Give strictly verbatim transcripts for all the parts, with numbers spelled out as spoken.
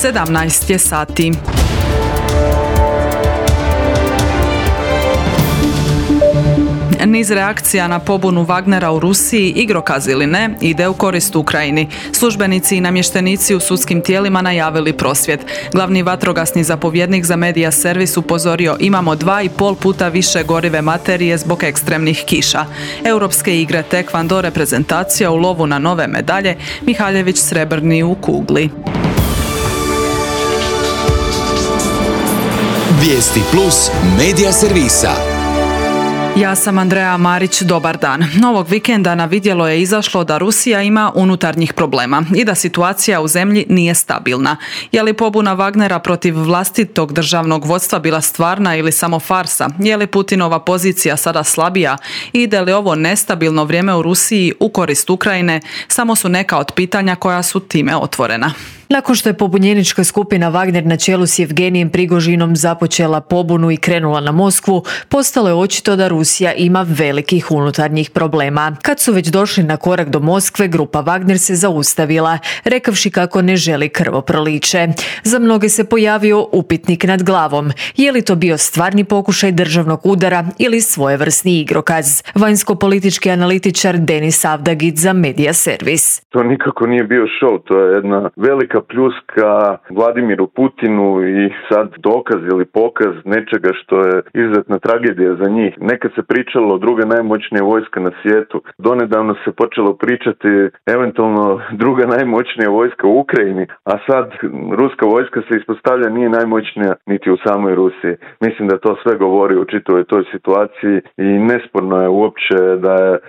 sedamnaest je sati. Niz reakcija na pobunu Wagnera u Rusiji, igrokaz ili ne, ide u korist Ukrajini. Službenici i namještenici u sudskim tijelima najavili prosvjed. Glavni vatrogasni zapovjednik za Media Servis upozorio: imamo dva i pol puta više gorive materije zbog ekstremnih kiša. Europske igre tekvando reprezentacija u lovu na nove medalje, Mihaljević srebrni u kugli. Vijesti plus Media Servisa. Ja sam Andreja Marić, dobar dan. Ovog vikenda na vidjelo je izašlo da Rusija ima unutarnjih problema i da situacija u zemlji nije stabilna. Je li pobuna Wagnera protiv vlastitog državnog vodstva bila stvarna ili samo farsa? Je li Putinova pozicija sada slabija? Ide li ovo nestabilno vrijeme u Rusiji u korist Ukrajine? Samo su neka od pitanja koja su time otvorena. Nakon što je pobunjenička skupina Wagner na čelu s Evgenijem Prigožinom započela pobunu i krenula na Moskvu, postalo je očito da Rusija ima velikih unutarnjih problema. Kad su već došli na korak do Moskve, grupa Wagner se zaustavila, rekavši kako ne želi krvoproliće. Za mnoge se pojavio upitnik nad glavom. Je li to bio stvarni pokušaj državnog udara ili svojevrsni igrokaz? Vanjsko-politički analitičar Denis Avdagić za Media Servis. To nikako nije bio show, to je jedna velika pljuska Vladimiru Putinu i sad dokaz ili pokaz nečega što je izuzetna tragedija za njih. Nekad se pričalo o druga najmoćnija vojska na svijetu. Donedavno se počelo pričati eventualno druga najmoćnija vojska u Ukrajini, a sad ruska vojska se ispostavlja nije najmoćnija niti u samoj Rusiji. Mislim da to sve govori o čitavoj toj situaciji i nesporno je uopće da je e,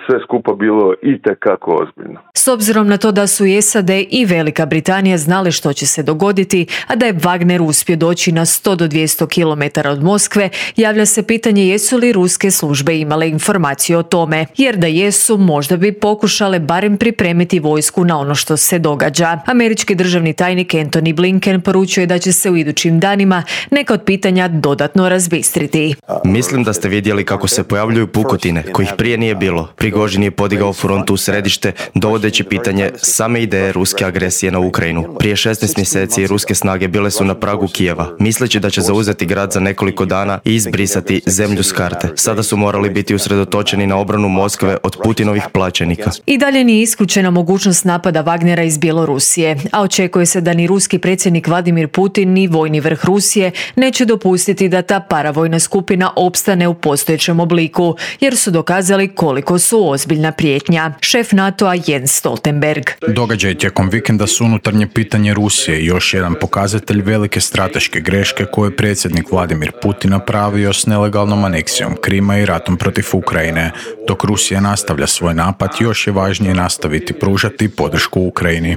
sve skupa bilo itekako ozbiljno. S obzirom na to da su i S A D i Velika Britanija znali što će se dogoditi, a da je Wagner uspio doći na sto do dvjesto kilometara od Moskve, javlja se pitanje jesu li ruske službe imale informaciju o tome, jer da jesu, možda bi pokušale barem pripremiti vojsku na ono što se događa. Američki državni tajnik Antony Blinken poručuje da će se u idućim danima neka od pitanja dodatno razbistriti. Mislim da ste vidjeli kako se pojavljuju pukotine, kojih prije nije bilo. Prigožin je podigao frontu u središte, dovodeći pitanje same ideje ruske agresije na Ukrajinu. Prije šesnaest mjeseci ruske snage bile su na pragu Kijeva, misleći da će zauzeti grad za nekoliko dana i izbrisati zemlju s karte. Sada su morali biti usredotočeni na obranu Moskve od Putinovih plaćenika. I dalje nije isključena mogućnost napada Wagnera iz Bjelorusije, a očekuje se da ni ruski predsjednik Vladimir Putin ni vojni vrh Rusije neće dopustiti da ta paravojna skupina opstane u postojećem obliku, jer su dokazali koliko su ozbiljna prijetnja. Šef NATO-a Jens Stoltenberg. Događaj tijekom vikenda su unutarnje pitanje Rusije i još jedan pokazatelj velike strateške greške koje je predsjednik Vladimir Putin napravio s nelegalnom aneksijom Krima i ratom protiv Ukrajine. Dok Rusija nastavlja svoj napad, još je važnije nastaviti pružati podršku Ukrajini.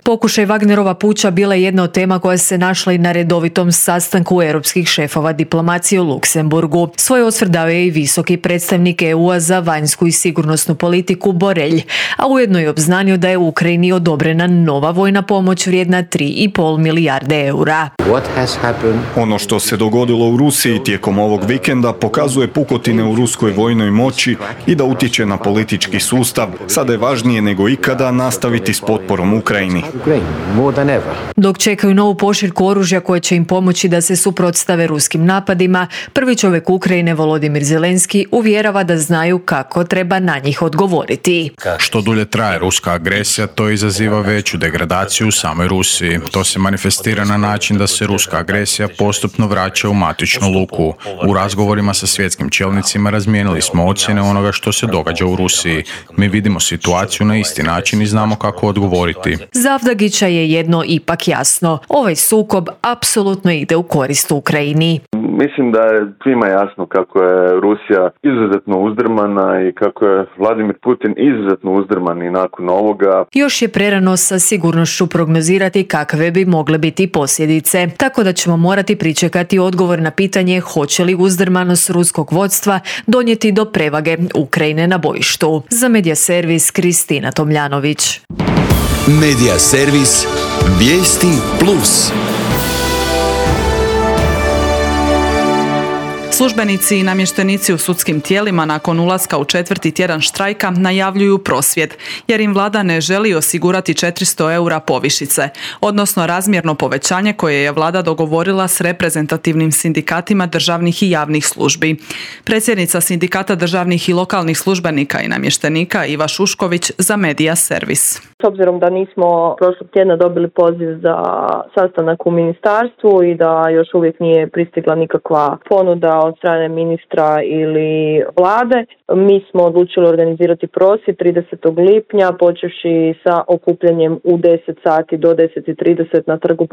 Pokušaj Wagnerova puča bila je jedna od tema koja se našla i na redovitom sastanku europskih šefova diplomacije u Luksemburgu. Svoj osvrt dao je i visoki predstavnik E U-a za vanjsku i sigurnosnu politiku Borelj, a ujedno je obznanio da je u Ukrajini odobrena nova vojna pomoć vrijedna tri i pol milijarde eura. Ono što se dogodilo u Rusiji tijekom ovog vikenda pokazuje pukotine u ruskoj vojnoj moći i da utječe na politički sustav. Sada je važnije nego ikada nastaviti s potporom Ukrajini. Dok čekaju novu pošiljku oružja koje će im pomoći da se suprotstave ruskim napadima, prvi čovjek Ukrajine Volodimir Zelenski uvjerava da znaju kako treba na njih odgovoriti. Što dulje traje ruska agresija, to izaziva veću degradaciju u samoj Rusiji. To se manifestira na način da se ruska agresija postupno vraća u matičnu luku. U razgovorima sa svjetskim čelnicima razmijenili smo ocjene onoga što se događa u Rusiji. Mi vidimo situaciju na isti način i znamo kako odgovoriti. Za Avdagića je jedno ipak jasno. Ovaj sukob apsolutno ide u korist Ukrajini. Mislim da je svima jasno kako je Rusija izuzetno uzdrmana i kako je Vladimir Putin izuzetno uzdrman i nakon ovoga. Još je prerano sa sigurnošću prognozirati kakve bi mogle biti posljedice, tako da ćemo morati pričekati odgovor na pitanje hoće li uzdrmanost ruskog vodstva donijeti do prevage Ukrajine na bojištu. Za Media Servis Kristina Tomljanović. Media Servis Vijesti plus. Službenici i namještenici u sudskim tijelima nakon ulaska u četvrti tjedan štrajka najavljuju prosvjed, jer im vlada ne želi osigurati četiristo eura povišice, odnosno razmjerno povećanje koje je vlada dogovorila s reprezentativnim sindikatima državnih i javnih službi. Predsjednica sindikata državnih i lokalnih službenika i namještenika Iva Šušković za Media Servis. S obzirom da nismo prošlog tjedna dobili poziv za sastanak u ministarstvu i da još uvijek nije pristigla nikakva ponuda od strane ministra ili vlade, mi smo odlučili organizirati prosvjed tridesetog lipnja, počevši sa okupljanjem u deset sati do deset i trideset na trgu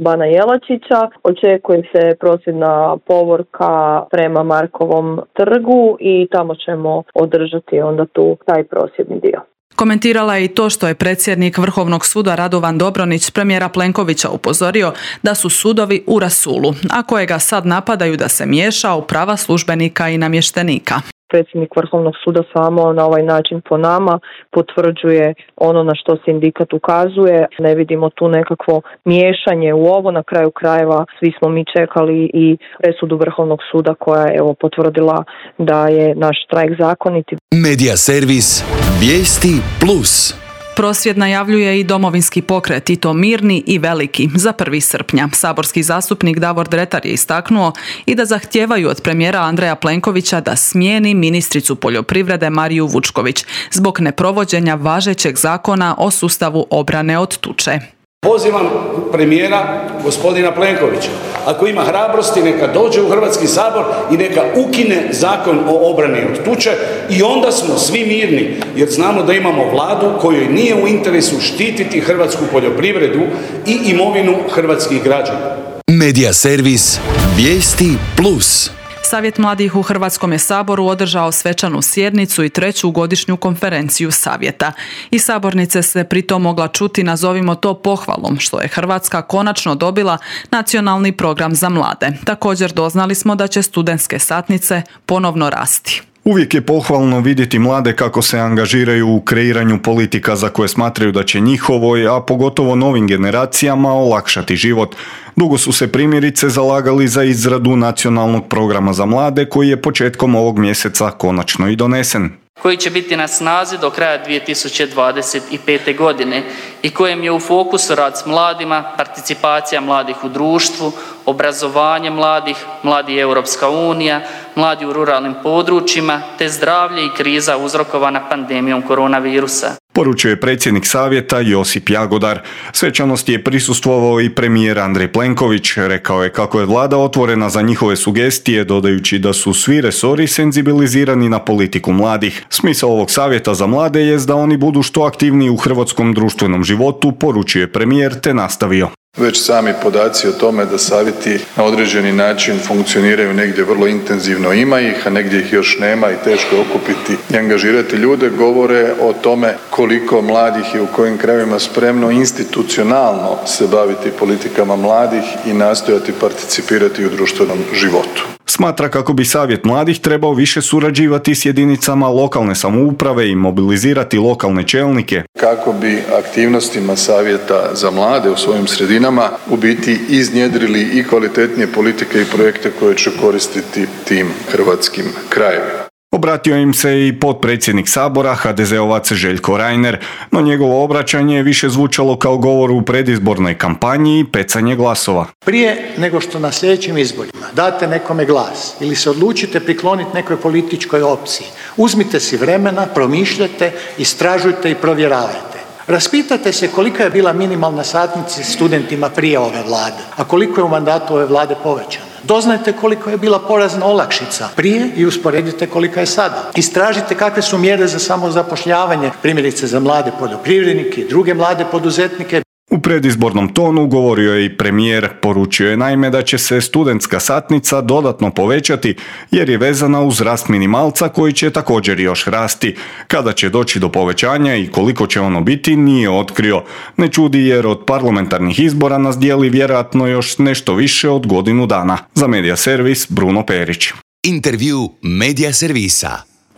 Bana Jelačića. Očekuje se prosvjedna povorka prema Markovom trgu i tamo ćemo održati onda tu taj prosvjedni dio. Komentirala je i to što je predsjednik Vrhovnog suda Radovan Dobronić premijera Plenkovića upozorio da su sudovi u rasulu, a kojega sad napadaju da se miješa u prava službenika i namještenika. Predsjednik Vrhovnog suda samo na ovaj način po nama potvrđuje ono na što sindikat ukazuje. Ne vidimo tu nekakvo miješanje u ovo. Na kraju krajeva svi smo mi čekali i presudu Vrhovnog suda koja je evo potvrdila da je naš štrajk zakonit. Media Servis Vijesti Plus. Prosvjed najavljuje i Domovinski pokret, i to mirni i veliki, za prvog srpnja. Saborski zastupnik Davor Dretar je istaknuo i da zahtijevaju od premijera Andreja Plenkovića da smijeni ministricu poljoprivrede Mariju Vučković zbog neprovođenja važećeg zakona o sustavu obrane od tuče. Pozivam premijera gospodina Plenkovića, ako ima hrabrosti neka dođe u Hrvatski sabor i neka ukine zakon o obrani od tuče i onda smo svi mirni, jer znamo da imamo vladu kojoj nije u interesu štititi hrvatsku poljoprivredu i imovinu hrvatskih građana. Media Servis Vijesti Plus. Savjet mladih u Hrvatskom je saboru održao svečanu sjednicu i treću godišnju konferenciju savjeta. Iz sabornice se pritom mogla čuti, nazovimo to pohvalom, što je Hrvatska konačno dobila nacionalni program za mlade. Također doznali smo da će studentske satnice ponovno rasti. Uvijek je pohvalno vidjeti mlade kako se angažiraju u kreiranju politika za koje smatraju da će njihovoj, a pogotovo novim generacijama, olakšati život. Dugo su se primjerice zalagali za izradu nacionalnog programa za mlade koji je početkom ovog mjeseca konačno i donesen. Koji će biti na snazi do kraja dvije tisuće dvadeset pete. godine i kojem je u fokusu rad s mladima, participacija mladih u društvu, obrazovanje mladih, mladi Europska unija, mladi u ruralnim područjima te zdravlje i kriza uzrokovana pandemijom koronavirusa. Poručuje predsjednik savjeta Josip Jagodar. Svečanosti je prisustvovao i premijer Andrej Plenković. Rekao je kako je vlada otvorena za njihove sugestije, dodajući da su svi resori senzibilizirani na politiku mladih. Smisao ovog savjeta za mlade je da oni budu što aktivniji u hrvatskom društvenom životu, poručuje premijer te nastavio. Već sami podaci o tome da savjeti na određeni način funkcioniraju negdje vrlo intenzivno, ima ih, a negdje ih još nema i teško je okupiti i angažirati ljude, govore o tome koliko mladih je u kojim krajevima spremno institucionalno se baviti politikama mladih i nastojati participirati u društvenom životu. Smatra kako bi savjet mladih trebao više surađivati s jedinicama lokalne samouprave i mobilizirati lokalne čelnike. Kako bi aktivnostima savjeta za mlade u svojim sredinama u biti iznjedrili i kvalitetnije politike i projekte koje će koristiti tim hrvatskim krajevima. Obratio im se i potpredsjednik sabora, ha de zeovac Željko Reiner, no njegovo obraćanje je više zvučalo kao govor u predizbornoj kampanji i pecanje glasova. Prije nego što na sljedećim izborima date nekome glas ili se odlučite prikloniti nekoj političkoj opciji, uzmite si vremena, promišljajte, istražujte i provjeravajte. Raspitajte se kolika je bila minimalna satnica studentima prije ove vlade, a koliko je u mandatu ove vlade povećana. Doznajte koliko je bila porezna olakšica prije i usporedite kolika je sada. Istražite kakve su mjere za samozapošljavanje, primjerice za mlade poljoprivrednike i druge mlade poduzetnike. U predizbornom tonu govorio je i premijer, poručio je naime da će se studentska satnica dodatno povećati jer je vezana uz rast minimalca koji će također još rasti. Kada će doći do povećanja i koliko će ono biti nije otkrio. Ne čudi jer od parlamentarnih izbora nas dijeli vjerojatno još nešto više od godinu dana. Za Media Servis Bruno Perić. Intervju Media Servisa.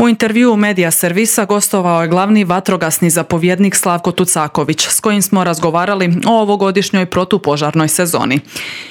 U intervjuu Medija servisa gostovao je glavni vatrogasni zapovjednik Slavko Tucaković, s kojim smo razgovarali o ovogodišnjoj protupožarnoj sezoni.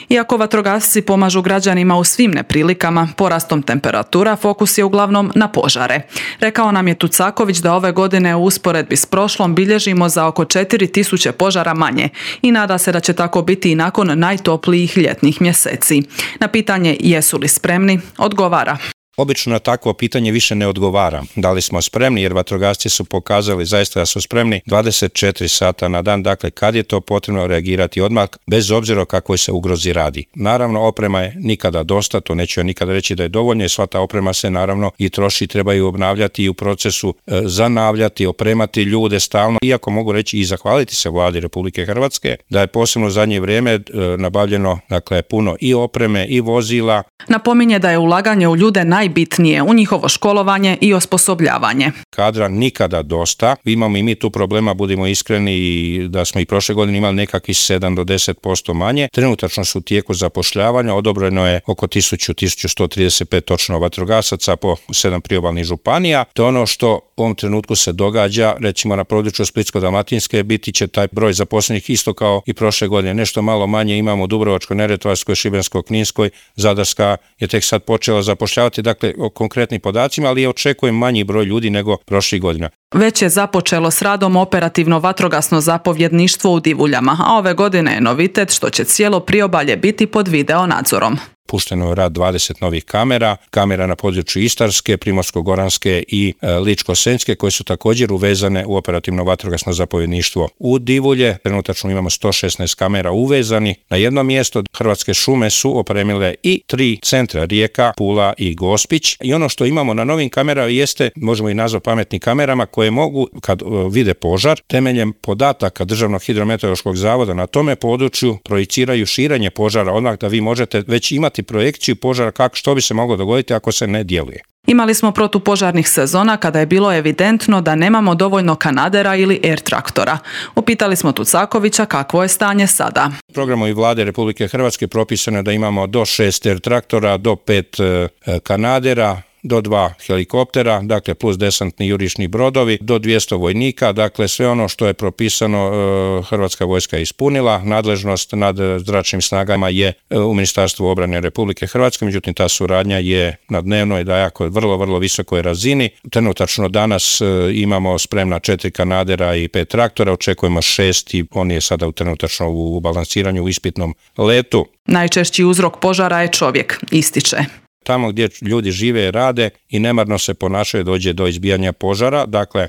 Iako vatrogasci pomažu građanima u svim neprilikama, porastom temperatura fokus je uglavnom na požare. Rekao nam je Tucaković da ove godine u usporedbi s prošlom bilježimo za oko četiri tisuće požara manje i nada se da će tako biti i nakon najtoplijih ljetnih mjeseci. Na pitanje jesu li spremni, odgovara. Obično na takvo pitanje više ne odgovara. Da li smo spremni, jer vatrogasci su pokazali zaista da su spremni dvadeset četiri sata na dan, dakle kad je to potrebno reagirati odmah, bez obzira o kakvoj se ugrozi radi. Naravno, oprema je nikada dosta, to neću ja nikada reći da je dovoljno, i sva ta oprema se naravno i troši, treba ju obnavljati i u procesu e, zanavljati, opremati ljude stalno. Iako mogu reći i zahvaliti se Vladi Republike Hrvatske da je posebno u zadnje vrijeme e, nabavljeno dakle puno i opreme i vozila. Napominje da je ulaganje u ljude najbitnije, u njihovo školovanje i osposobljavanje. Kadra nikada dosta. Imamo i mi tu problema, budimo iskreni, i da smo i prošle godine imali nekakvih sedam do deset posto manje. Trenutačno su u tijeku zapošljavanja, odobreno je oko tisuću do tisuću sto trideset pet točno vatrogasaca po sedam priobalnih županija. To je ono što u ovom trenutku se događa, recimo na području Splitsko-dalmatinske biti će taj broj zaposlenih isto kao i prošle godine. Nešto malo manje imamo u Dubrovačko-neretvanskoj, Šibensko-kninskoj, Zadarska je tek sad počela zapošljavati, dakle o konkretnim podacima, ali je očekujem manji broj ljudi nego prošlih godina. Već je započelo s radom operativno vatrogasno zapovjedništvo u Divuljama, a ove godine je novitet što će cijelo priobalje biti pod video nadzorom. Pušteno je rad dvadeset novih kamera, kamera na području Istarske, Primorsko-goranske i e, Ličko-senjske, koje su također uvezane u operativno vatrogasno zapovjedništvo u Divulje. Trenutačno imamo sto šesnaest kamera uvezani na jedno mjesto. Hrvatske šume su opremile i tri centra, Rijeka, Pula i Gospić. I ono što imamo na novim kamerama jeste, možemo i nazvati pametnim kamerama, koje mogu, kad e, vide požar, temeljem podataka Državnog hidrometeorološkog zavoda na tome području projiciraju širenje požara, odmah da vi možete već imati projekciju požara kako što bi se moglo dogoditi ako se ne djeluje. Imali smo protupožarnih sezona kada je bilo evidentno da nemamo dovoljno kanadera ili air traktora. Upitali smo Tucakovića kakvo je stanje sada. Programom i Vlade Republike Hrvatske propisano je da imamo do šest air traktora, do pet e, kanadera, do dva helikoptera, dakle plus desantni jurišni brodovi, do dvjesto vojnika, dakle sve ono što je propisano e, Hrvatska vojska je ispunila. Nadležnost nad zračnim snagama je e, u Ministarstvu obrane Republike Hrvatske, međutim ta suradnja je na dnevnoj, da jako vrlo, vrlo visokoj razini. Trenutačno danas e, imamo spremna četiri kanadera i pet traktora, očekujemo šest i on je sada u trenutačno u balansiranju u ispitnom letu. Najčešći uzrok požara je čovjek, ističe. Tamo gdje ljudi žive i rade i nemarno se ponašaju dođe do izbijanja požara. Dakle,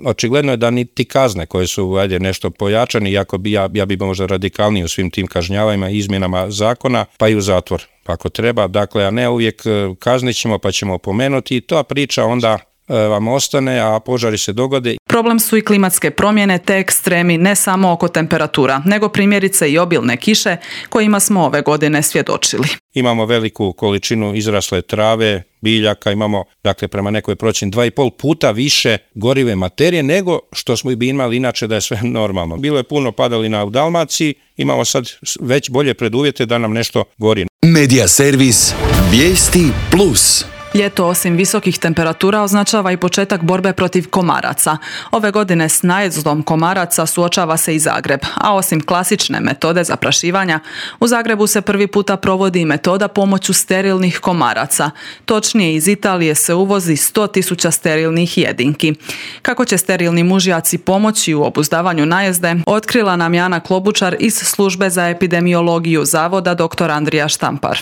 očigledno je da niti kazne koje su ajde, nešto pojačane, iako bi ja, ja bi možda radikalniji u svim tim kažnjavajima i izmjenama zakona, pa i u zatvor ako treba. Dakle, a ne uvijek kaznit ćemo pa ćemo opomenuti i ta priča onda vam ostane, a požari se dogode. Problem su i klimatske promjene te ekstremi ne samo oko temperatura, nego primjerice i obilne kiše kojima smo ove godine svjedočili. Imamo veliku količinu izrasle trave, biljaka, imamo dakle prema nekoj procjeni dva i pol puta više gorive materije nego što smo bi imali inače da je sve normalno. Bilo je puno padalina u Dalmaciji, imamo sad već bolje preduvjete da nam nešto gori. Medija servis Vijesti plus. Ljeto osim visokih temperatura označava i početak borbe protiv komaraca. Ove godine s najezdom komaraca suočava se i Zagreb, a osim klasične metode zaprašivanja, u Zagrebu se prvi puta provodi i metoda pomoću sterilnih komaraca. Točnije, iz Italije se uvozi sto tisuća sterilnih jedinki. Kako će sterilni mužjaci pomoći u obuzdavanju najezde, otkrila nam Jana Klobučar iz Službe za epidemiologiju Zavoda dr. Andrija Štampar.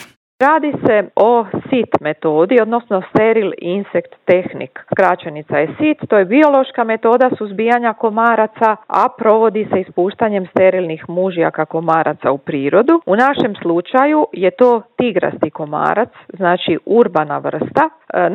Radi se o S I T metodi, odnosno Sterile Insect Technique. Skraćenica je S I T, to je biološka metoda suzbijanja komaraca, a provodi se ispuštanjem sterilnih mužjaka komaraca u prirodu. U našem slučaju je to tigrasti komarac, znači urbana vrsta.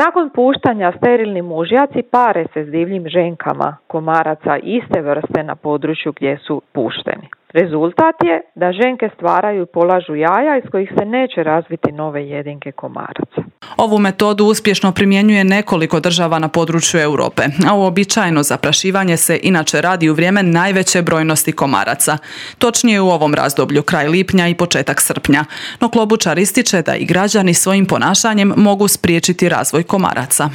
Nakon puštanja sterilni mužjaci pare se s divljim ženkama komaraca iste vrste na području gdje su pušteni. Rezultat je da ženke stvaraju i polažu jaja iz kojih se neće razviti nove jedinke komaraca. Ovu metodu uspješno primjenjuje nekoliko država na području Europe, a uobičajeno zaprašivanje se inače radi u vrijeme najveće brojnosti komaraca. Točnije u ovom razdoblju, kraj lipnja i početak srpnja. No Klobučar ističe da i građani svojim ponašanjem mogu spriječiti razvoj komaraca.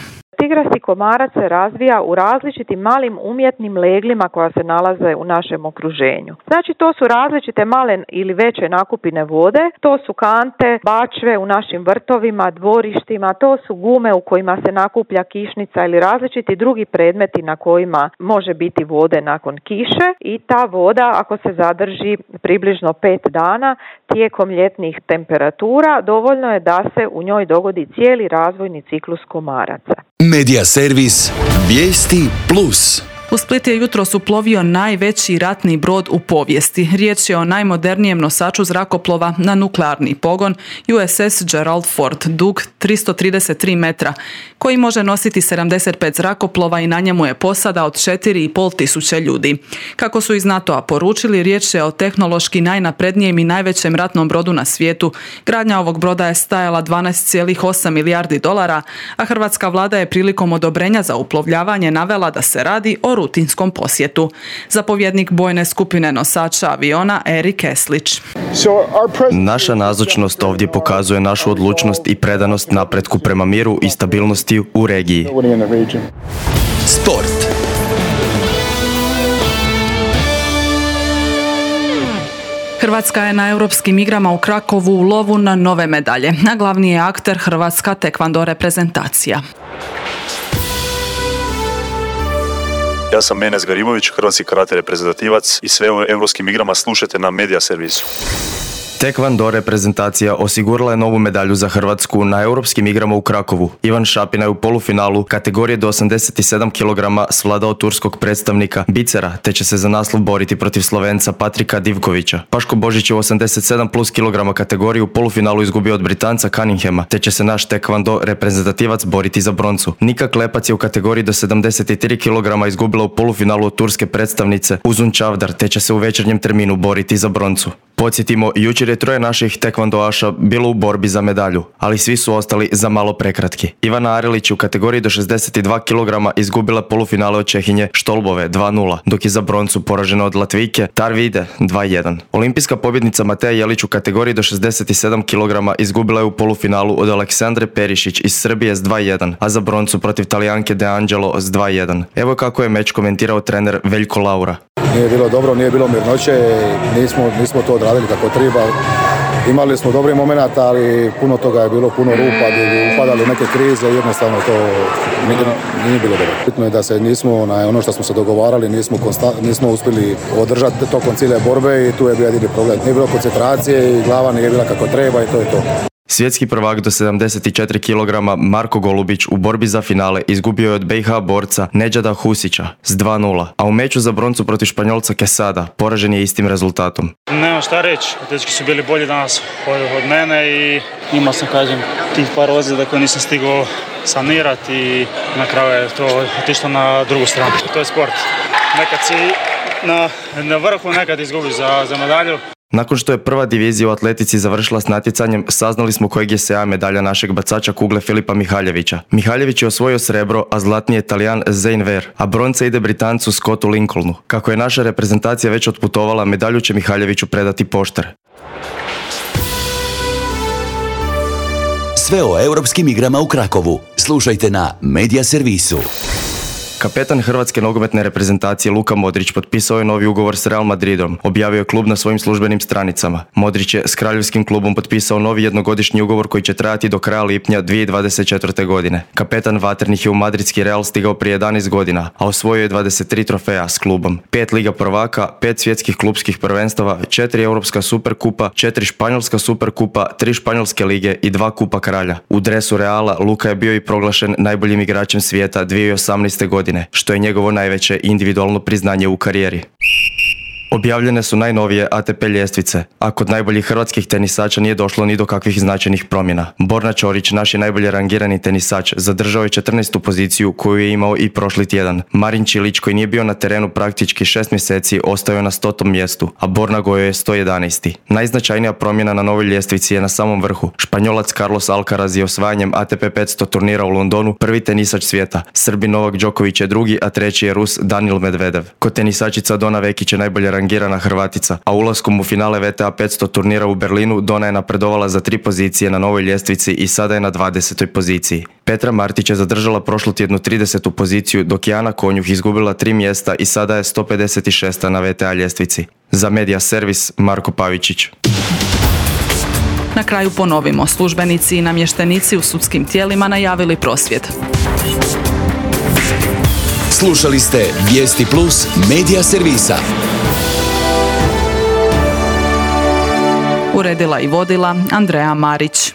tigrasti komarac se razvija u različitim malim umjetnim leglima koja se nalaze u našem okruženju. Znači to su različite male ili veće nakupine vode, to su kante, bačve u našim vrtovima, dvorištima, to su gume u kojima se nakuplja kišnica ili različiti drugi predmeti na kojima može biti vode nakon kiše i ta voda ako se zadrži približno pet dana tijekom ljetnih temperatura dovoljno je da se u njoj dogodi cijeli razvojni ciklus komaraca. Medija servis Vijesti plus. U Split je jutros uplovio najveći ratni brod u povijesti. Riječ je o najmodernijem nosaču zrakoplova na nuklearni pogon U S S Gerald Ford, dug tristo trideset tri metra, koji može nositi sedamdeset pet zrakoplova i na njemu je posada od četiri i pol tisuće ljudi. Kako su iz NATO-a poručili, riječ je o tehnološki najnaprednijem i najvećem ratnom brodu na svijetu. Gradnja ovog broda je stajala dvanaest zarez osam milijardi dolara, a hrvatska vlada je prilikom odobrenja za uplovljavanje navela da se radi o rutinskom posjetu. Zapovjednik bojne skupine nosača aviona Erik Eslić. Naša nazočnost ovdje pokazuje našu odlučnost i predanost napretku prema miru i stabilnosti u regiji. Sport. Hrvatska je na europskim igrama u Krakovu u lovu na nove medalje, a glavni je akter hrvatska tekvando reprezentacija. Ja sam Menes Garimović, hrvatski karate reprezentativac i sve o europskim igrama slušajte na Medija servisu. Tekvando reprezentacija osigurala je novu medalju za Hrvatsku na europskim igrama u Krakovu. Ivan Šapina je u polufinalu kategorije do osamdeset sedam kilograma svladao turskog predstavnika Bicera, te će se za naslov boriti protiv Slovenca Patrika Divkovića. Paško Božić je u osamdeset sedam plus kilograma kategoriju u polufinalu izgubio od Britanca Cunninghama, te će se naš tekvando reprezentativac boriti za broncu. Nika Klepac je u kategoriji do sedamdeset tri kilograma izgubila u polufinalu od turske predstavnice Uzun Čavdar, te će se u večernjem terminu boriti za broncu. Podsjetimo, jučer je troje naših tekvandoaša bilo u borbi za medalju, ali svi su ostali za malo prekratki. Ivana Arilić u kategoriji do šezdeset dva kilograma izgubila polufinale od Čehinje Štolbove dva nula, dok je za broncu poražena od Latvijke Tarvide dva jedan. Olimpijska pobjednica Mateja Jelić u kategoriji do šezdeset sedam kilograma izgubila je u polufinalu od Aleksandre Perišić iz Srbije s dva jedan, a za broncu protiv Talijanke De Angelo s dva jedan. Evo kako je meč komentirao trener Veljko Laura. Nije bilo dobro, nije bilo mirnoće, nismo, nismo to odradili kako treba. Imali smo dobrih momenata, ali puno toga je bilo, puno rupa, gdje bi upadali neke krize, jednostavno to nije, nije bilo dobro. Bitno je da se nismo, na ono što smo se dogovarali, nismo, konsta, nismo uspjeli održati tokom cijele borbe i tu je bio jedini problem. Nije bilo koncentracije i glava nije bila kako treba i to je to. Svjetski prvak do sedamdeset četiri kilograma Marko Golubić u borbi za finale izgubio je od B i H borca Nedžada Husića s dva nula, a u meču za broncu protiv Španjolca Quesada poražen je istim rezultatom. Nema šta reći, dečki su bili bolji danas od, od mene i imao sam, kažem, tih par ozljeda koje nisam stigao sanirati i na kraju je to otišlo na drugu stranu. To je sport. Nekad si na, na vrhu, nekad izgubiš za, za medalju. Nakon što je prva divizija u atletici završila s natjecanjem, saznali smo kojeg je S A medalja našeg bacača kugle Filipa Mihaljevića. Mihaljević je osvojio srebro, a zlatni je Talijan Zane Ver, a bronca ide Britancu Scottu Lincolnu. Kako je naša reprezentacija već otputovala, medalju će Mihaljeviću predati poštar. Sve o europskim igrama u Krakovu slušajte na Medija servisu. Kapetan hrvatske nogometne reprezentacije Luka Modrić potpisao je novi ugovor s Real Madridom, objavio je klub na svojim službenim stranicama. Modrić je s kraljevskim klubom potpisao novi jednogodišnji ugovor koji će trajati do kraja lipnja dvije tisuće dvadeset četvrte. godine. Kapetan vatrenih je u madridski Real stigao prije jedanaest godina, a osvojio je dvadeset tri trofeja s klubom. Pet Liga prvaka, pet svjetskih klubskih prvenstava, četiri Europska superkupa, četiri Španjolska superkupa, tri Španjolske lige i dva Kupa kralja. U dresu Reala Luka je bio i proglašen najboljim igračem svijeta dvije tisuće osamnaeste. godine, što je njegovo najveće individualno priznanje u karijeri. Objavljene su najnovije A T P ljestvice, a kod najboljih hrvatskih tenisača nije došlo ni do kakvih značajnih promjena. Borna Ćorić, naš je najbolje rangirani tenisač, zadržao je četrnaestu poziciju koju je imao i prošli tjedan. Marin Čilić, koji nije bio na terenu praktički šest mjeseci, ostao je na stotom mjestu, a Borna Gojo je sto jedanaesti. Najznačajnija promjena na novoj ljestvici je na samom vrhu. Španjolac Carlos Alcaraz je osvajanjem A T P petsto turnira u Londonu prvi tenisač svijeta. Srbin Novak Đoković je drugi, a treći je Rus Danil Medvedev. Kod tenisačica Dona Vekić je najbolje rangirana Hrvatica, a ulaskom u finale V T A petsto turnira u Berlinu Dona je napredovala za tri pozicije na novoj ljestvici i sada je na dvadesetoj poziciji. Petra Martić je zadržala prošlu tjednu tridesetu poziciju, dok je Ana Konjuh izgubila tri mjesta i sada je sto pedeset šesta na V T A ljestvici. Za Media Servis, Marko Pavičić. Na kraju ponovimo, službenici i namještenici u sudskim tijelima najavili prosvjed. Slušali ste Vijesti Plus Media Servisa. Uredila i vodila Andreja Marić.